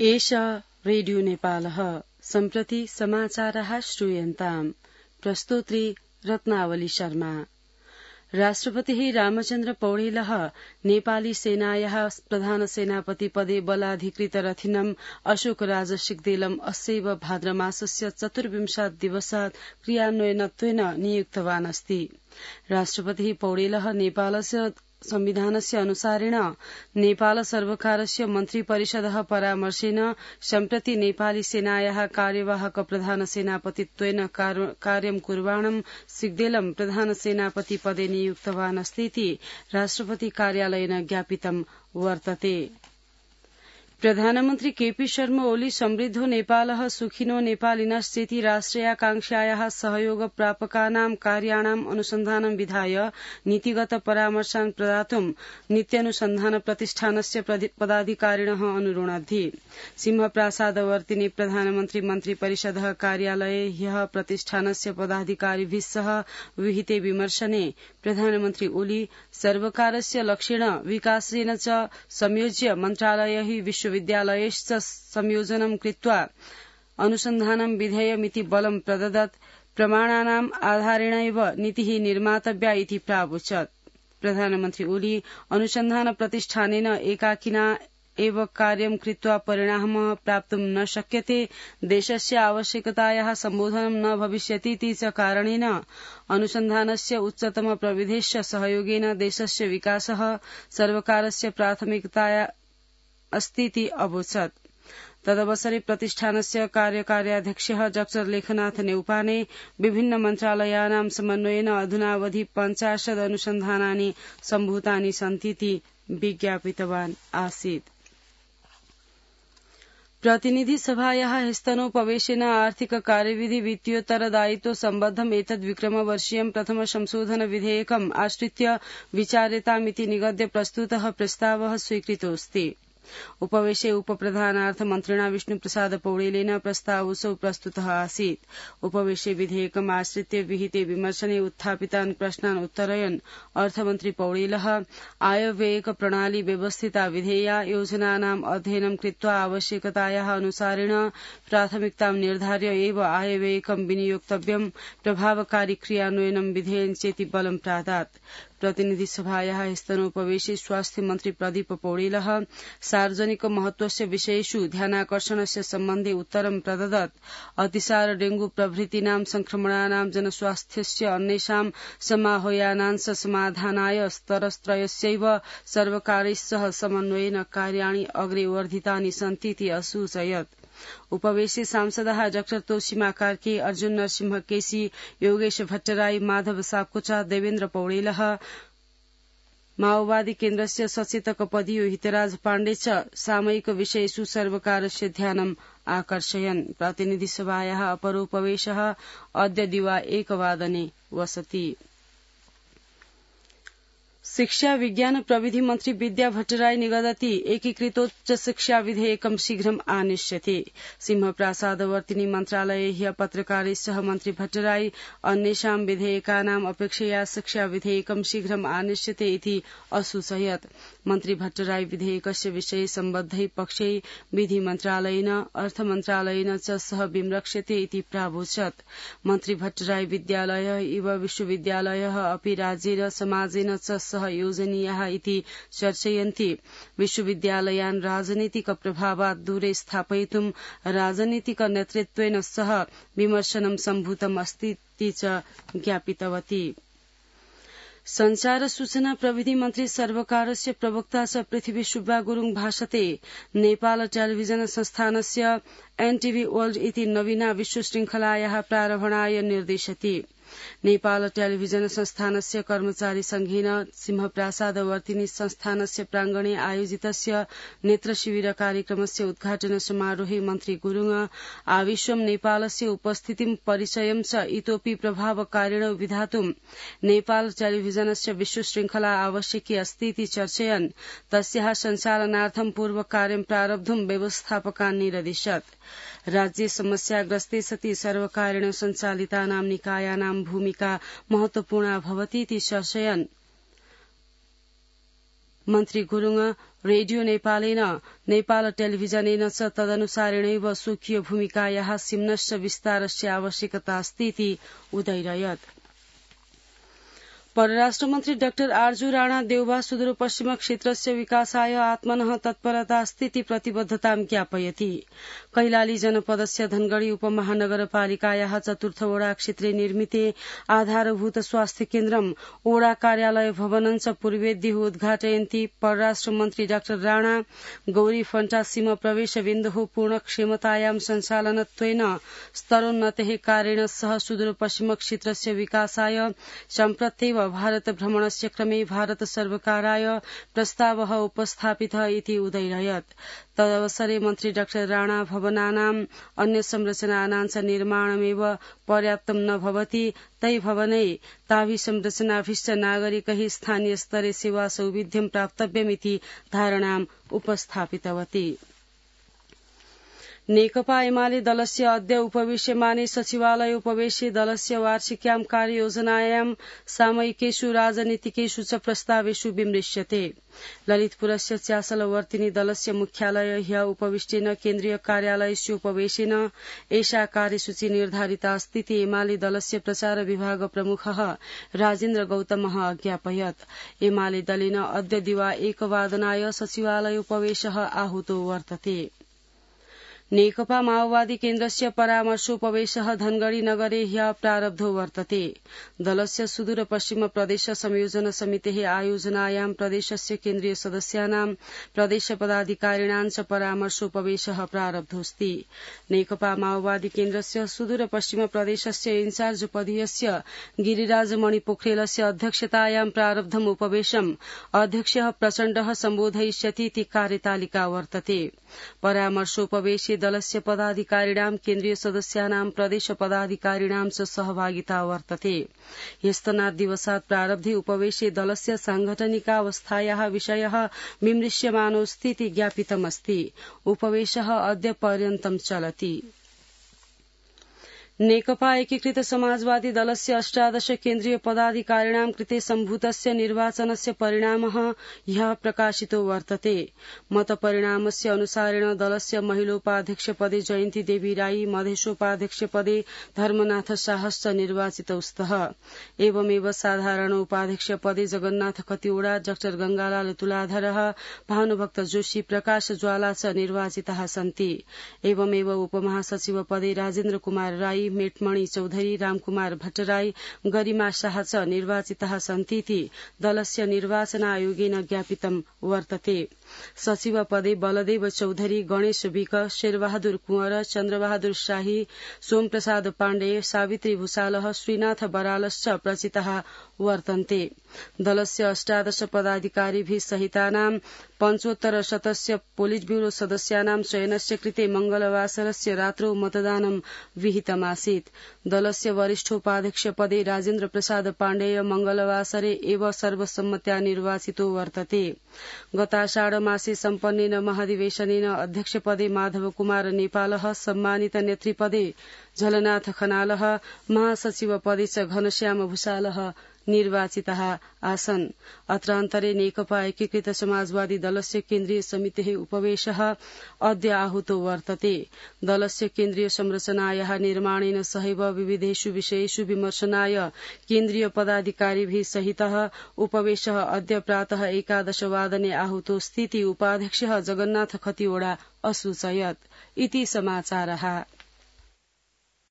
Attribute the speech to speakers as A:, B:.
A: एषा रेडियो नेपालः सम्प्रति समाचारः श्रूयन्ताम् प्रस्तोत्री रत्नावली शर्मा। राष्ट्रपतिः रामचन्द्र पौडेलः नेपाली सेनायाः प्रधान सेनापति पदे बलाधिकृतरथिनम् अशोकराज सिग्देलम् अस्यैव भाद्रमासस्य 24 दिवसात् क्रियान्वयनत्वेन नियुक्तवान् अस्ति। राष्ट्रपतिः पौडेलः नेपालस्य संविधानस्य अनुसारेण नेपाल सर्वकारस्य मन्त्रिपरिषदः परामर्शेन सम्प्रति नेपाली सेनायाः कार्यवाहक प्रधान सेनापतित्वेन कार्यं कुर्वाणं सिग्देलं प्रधान सेनापति पदे नियुक्तवान् अस्तीति राष्ट्रपति कार्यालयेन ज्ञापितं वर्तते। प्रधानमन्त्री केपी शर्मा ओली समृद्धो नेपालः सुखिनो नेपालिनश्चेति राष्ट्रियाकांक्षायाः सहयोग प्रापकानां कार्याणाम् अनुसन्धानं विधाय नीतिगत परामर्शान् प्रदातुं नित्यानुसन्धान प्रतिष्ठानस्य पदाधिकारिणः अनुरोणद्धि। सिंहप्रासादवर्तिनि प्रधानमन्त्री मन्त्रिपरिषदः कार्यालये ह्यः प्रतिष्ठानस्य पदाधिकारिभिः सह विहिते विमर्शने प्रधानमन्त्री ओली सर्वकारस्य लक्ष्येण विकासेन च संयोज्य मन्त्रालयैः विश्वविद्यालयैश्च संयोजनं कृत्वा अनुसन्धानं विधेयमिति बलं प्रददत्। प्रमाणानाम् आधारेणैव नीतिः निर्मातव्या इति प्रावोचत्। प्रधानमन्त्री ओली अनुसन्धान प्रतिष्ठानेन एकाकिना एव कार्यं कृत्वा परिणामः प्राप्तुं न शक्यते, देशस्य आवश्यकतायाः सम्बोधनं न भविष्यतीति च कारणेन अनुसन्धानस्य उच्चतम प्रविधेश्च सहयोगेन देशस्य विकासः सर्वकारस्य प्राथमिकता अस्तीति अवोचत्। तदवसरे प्रतिष्ठानस्य कार्यकार्याध्यक्षः डॉ लेखनाथ नेउपाने विभिन्न मन्त्रालयानां समन्वयेन अधुनावधि 50 अनुसन्धानानि सम्भूतानि सन्तीति विज्ञापितवान् आसीत्। प्रतिनिधि सभायाः स्तनोपवेशेन आर्थिक कार्यविधि वित्तीयोत्तरदायित्व सम्बद्धम् एतद् विक्रमवर्षीयं प्रथम संशोधन विधेयकम् आश्रित्य विचार्यतामिति निगद्य प्रस्तुतः प्रस्तावः स्वीकृतोऽस्ति। उपवेशे उपप्रधानार्थ मन्त्रिणा विष्णुप्रसाद पौडेलेन प्रस्तावोऽसौ प्रस्तुतः आसीत्। उपवेशे विधेयकम् आश्रित्य विहिते विमर्शने उत्थापितान् प्रश्नान् उत्तरयन् अर्थमन्त्री पौडेलः आयव्ययक प्रणाली व्यवस्थिता विधेया, योजनानाम् अध्ययनं कृत्वा आवश्यकतायाः अनुसारेण प्राथमिकतां निर्धार्य एव आयव्ययकं विनियोक्तव्यं, प्रभावकारी क्रियान्वयनं विधेयं चेति बलं प्रादात्। प्रतिनिधि सभायाः स्तनोपवेशे स्वास्थ्य मन्त्री प्रदीप पौडेलः सार्वजनिक महत्वस्य विषयेषु ध्यानाकर्षणस्य सम्बन्धे उत्तरं प्रददत्। अतिसार, डेंगू प्रभृतीनां संक्रमणानां जनस्वास्थ्यस्य अन्येषां समाह्वानांश समाधानाय स्तरत्रयस्यैव सर्वकारैस्सह समन्वयेन कार्याणि अग्रे वर्धितानि सन्तीति असूचयत्। उपवेशे सांसदः डॉ तोसीमा कार्की, अर्जुन नरसिंह केसी, योगेश भट्टराई, माधव सापकोटा, देवेन्द्र पौडेलः, माओवादी केन्द्रस्य सचेतक पदीयो हितराज पाण्डे च सामयिक विषयेषु सर्वकारस्य ध्यानम् आकर्षयन्। प्रतिनिधि सभायाः अपरोपवेशः अद्य दिवा 1 वादने वसति। शिक्षा विज्ञान प्रविधि मन्त्री विद्या भट्टराई निगदति एकीकृतोच्च शिक्षा विधेयकं शीघ्रम् आनिष्यति। सिंहप्रासादवर्तिनि मन्त्रालये ह्यः पत्रकारैः सह मन्त्री भट्टराई अन्येषां विधेयकानाम् अपेक्षया शिक्षा विधेयकं शीघ्रम् आनिष्यते इति असूचयत्। मन्त्री भट्टराई विधेयकस्य विषये सम्बद्धै पक्षै विधि मन्त्रालयेन अर्थमन्त्रालयेन च सह विमृश्यते इति प्रावोचत्। मन्त्री भट्टराई विद्यालयः इव विश्वविद्यालयः अपि राज्येन समाजेन च सह योजनीयाः इति चर्चयन्ति। विश्वविद्यालयान् राजनीतिक प्रभावात् दूरे स्थापयितुं राजनीतिक नेतृत्वेन सह विमर्शनं सम्भूतम् अस्तीति च ज्ञापितवती। संचार सूचना प्रविधि मन्त्री सर्वकारस्य प्रवक्ता च पृथ्वी सुब्बा गुरुङ भाषते नेपाल टेलिभिजन संस्थानस्य एनटीभी वर्ल्ड इति नवीना विश्वशृङ्खलायाः प्रारम्भणाय निर्देशति। नेपाल टेलिभिजन संस्थानस्य कर्मचारी संघेन सिंहप्रासादवर्तिनि संस्थानस्य प्रांगणे आयोजितस्य नेत्र शिविर कार्यक्रमस्य उद्घाटन समारोहे मन्त्री गुरुङ आविश्वं नेपालस्य उपस्थितिं परिचयं च इतोपि प्रभावकारिण विधातुं नेपाल टेलिभिजनस्य विश्वशृङ्खला आवश्यकी अस्तीति चर्चयन् तस्याः सञ्चालनार्थं पूर्वकार्यं प्रारब्धुं व्यवस्थापकान् निरदिशत्। राज्ये समस्याग्रस्ते सति सर्वकारेण सञ्चालितानां निकायानां भूमिका महत्वपूर्णा भवतीति चर्चयन् मन्त्री गुरुङ रेडियो नेपालेन नेपाल टेलिभिजनेन च तदनुसारेणैव स्वकीय भूमिकायाः सिम्नश्च विस्तारस्य आवश्यकता अस्ति इति उदैरयत्। परराष्ट्र मन्त्री डाक्टर आर्जु राणा देउबा सुदूरपश्चिम क्षेत्रस्य विकासाय आत्मनः तत्परता अस्ति प्रतिबद्धतां ज्ञापयति। कैलाली जनपदस्य धनगढ़ी उपमहानगरपालिकायाः चतुर्थ वडा क्षेत्रे निर्मिते आधारभूत स्वास्थ्य केन्द्रम् ओडा कार्यालय भवनं च पूर्वेद्युः उद्घाटयन्ति परराष्ट्र मन्त्री डाक्टर राणा गौरी फण्टा सीम प्रवेश बिन्दुः पूर्णक्षमतायां सञ्चालनत्वेन स्तरोन्नतेः कार्येण सह सुदूरपश्चिम क्षेत्रस्य विकासाय सम्प्रत्येव भारत भ्रमणस्य क्रमे भारत सर्वकाराय प्रस्तावः उपस्थापितः इति उदैरयत्। तदवसरे मन्त्री डाक्टर राणा भवनानाम् अन्य संरचनानां च निर्माणमेव पर्याप्तं न भवति तै भवनै ताभिसंरचनाभिश्च नागरिकैः स्थानीय स्तरे सेवा सौविध्यं प्राप्तव्यमिति धारणाम् उपस्थापितवती। नेकपा एमाले दलस्य अद्य उपवेश्यमाने सचिवालय उपवेशे दलस्य वार्षिक्यां कार्ययोजनायां सामयिकेषु राजनीतिकेषु च प्रस्तावेषु विमृश्यते। ललितपुरस्य च्यासलवर्तिनी दलस्य मुख्यालय ह्य उपविष्टेन केन्द्रीय कार्यालयस्य उपवेशेन एषा कार्यसूची निर्धारिता अस्ति इति एमाले दलस्य प्रचार विभाग प्रमुखः राजेन्द्र गौतमः अज्ञापयत्। एमाले दलेन अद्य दिवा 1 वादनाय सचिवालय उपवेशः आहूतो वर्तते। नेकपा माओवादी केन्द्रस्य परामर्शोपवेशः धनगढ़ी नगरे ह्यः प्रारब्धो वर्तते। दलस्य सुदूर पश्चिम प्रदेश संयोजन समितेः आयोजनायां प्रदेशस्य केन्द्रीय सदस्यानां प्रदेश पदाधिकारिणां च परामर्शोपवेशः प्रारब्धोऽस्ति। नेकपा माओवादी केन्द्रस्य सुदूर पश्चिम प्रदेशस्य इन्चार्ज पदीयस्य गिरिराज मणि पोखरेलस्य अध्यक्षतायां प्रारब्धम् उपवेशम् अध्यक्षः प्रचण्डः सम्बोधयिष्यति इति कार्यतालिका वर्तते। परामर्शोपवेशे दलस्य पदाधिकारिणां केन्द्रीय सदस्यानां प्रदेश पदाधिकारिणां च सहभागिता वर्तते। ह्यस्तनात् दिवसात् प्रारब्धे उपवेशे दलस्य साङ्गठनिकावस्थायाः विषयः विमृश्यमानोऽस्ति इति ज्ञापितमस्ति। उपवेशः अद्य पर्यन्तं चलति। नेकपा एकीकृत समाजवादी दलस्य 18 केन्द्रीय पदाधिकारिणां कृते सम्भूतस्य निर्वाचनस्य परिणामः ह्यः प्रकाशितो वर्तते। मतपरिणामस्य अनुसारेण दलस्य महिलोपाध्यक्षपदे जयन्ती देवी राई, मधेशोपाध्यक्षपदे धर्मनाथ शाहश्च निर्वाचितौ स्तः। एवमेव साधारणोपाध्यक्षपदे जगन्नाथ खतिवड़ा, डाक्टर गंगालाल तुलाधरः, भानुभक्त जोशी, प्रकाश ज्वाला च निर्वाचिताः सन्ति। एवमेव उपमहासचिव पदे राजेन्द्र कुमार राई, मेटमणि चौधरी, रामकुमार भट्टराई, गरिमा शाह च निर्वाचिताः सन्ति इति दलस्य निर्वाचन आयोगेन ज्ञापितं वर्तते। सचिव पदे बलदेव चौधरी, गणेश विक, शेरबहादुर कुंवर, चन्द्रबहादुर शाही, सोमप्रसाद पाण्डेय, सावित्री भूषालः, श्रीनाथ बरालश्च प्रचिताः वर्तन्ते। दलस्य 18 पदाधिकारिभिः सहितानां 75 पोलिट ब्यूरो सदस्यानां चयनस्य कृते मंगलवासरस्य रात्रौ मतदानं विहितमासीत्। दलस्य वरिष्ठोपाध्यक्ष पदे राजेन्द्र प्रसाद पाण्डेय मंगलवासरे एव सर्वसम्मत्या निर्वाचितो वर्तते। गताषाढ मासे सम्पन्नेन महाधिवेशनेन अध्यक्षपदे माधव कुमार नेपालः, सम्मानित नेतृपदे झलनाथ खनालः, महासचिव पदे च घनश्याम भूषालः निर्वाचिताः आसन्। अत्रान्तरे नेकपा एकीकृत समाजवादी दलस्य केन्द्रीय समितेः उपवेशः अद्य आहूतो वर्तते। दलस्य केन्द्रीय संरचनायाः निर्माणेन सहैव विविधेषु विषयेषु विमर्शनाय केन्द्रीय पदाधिकारिभिः सहितः उपवेशः अद्य प्रातः 11 वादने आहूतोऽस्ति इति उपाध्यक्षः जगन्नाथ खतिवड़ा असूचयत्। इति समाचारः।